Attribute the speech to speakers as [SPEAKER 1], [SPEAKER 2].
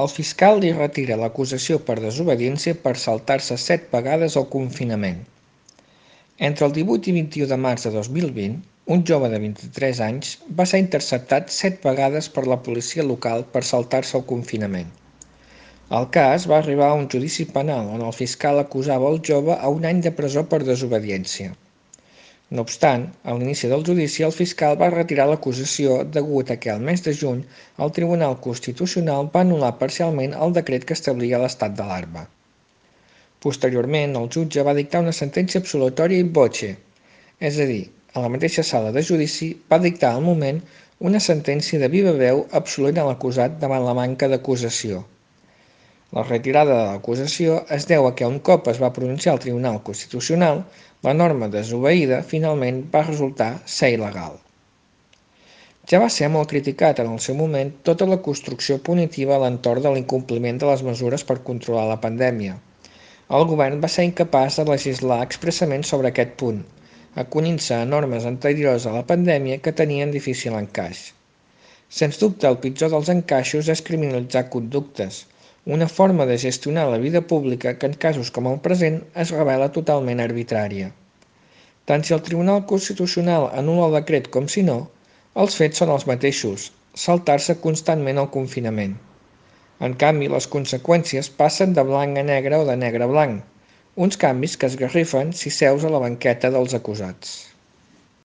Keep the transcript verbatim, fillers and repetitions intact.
[SPEAKER 1] El fiscal li retira l'acusació per desobediència per saltar-se set vegades el confinament. Entre el divuit i vint-i-u de març de dos mil vint, un jove de vint-i-tres anys va ser interceptat set vegades per la policia local per saltar-se el confinament. El cas va arribar a un judici penal on el fiscal acusava el jove a un any de presó per desobediència. No obstant, a l'inici del judici el fiscal va retirar l'acusació degut a que al mes de juny el Tribunal Constitucional va anul·lar parcialment el decret que establia l'estat d'alarma. Posteriorment, el jutge va dictar una sentència absolutòria in voce, és a dir, a la mateixa sala de judici va dictar al moment una sentència de viva veu absolent a l'acusat davant la manca d'acusació. La retirada de l'acusació es deu a que un cop es va pronunciar el Tribunal Constitucional, la norma desobeïda finalment va resultar ser il·legal. Ja va ser molt criticat en el seu moment tota la construcció punitiva a l'entorn de l'incompliment de les mesures per controlar la pandèmia. El govern va ser incapaç de legislar expressament sobre aquest punt, acollint-se a normes anteriors a la pandèmia que tenien difícil encaix. Sens dubte, el pitjor dels encaixos és criminalitzar conductes, una forma de gestionar la vida pública que en casos com el present es revela totalment arbitrària. Tant si el Tribunal Constitucional anul·la el decret com si no, els fets són els mateixos, saltar-se constantment el confinament. En canvi, les conseqüències passen de blanc a negre o de negre a blanc, uns canvis que esgarrifen si seus a la banqueta dels acusats.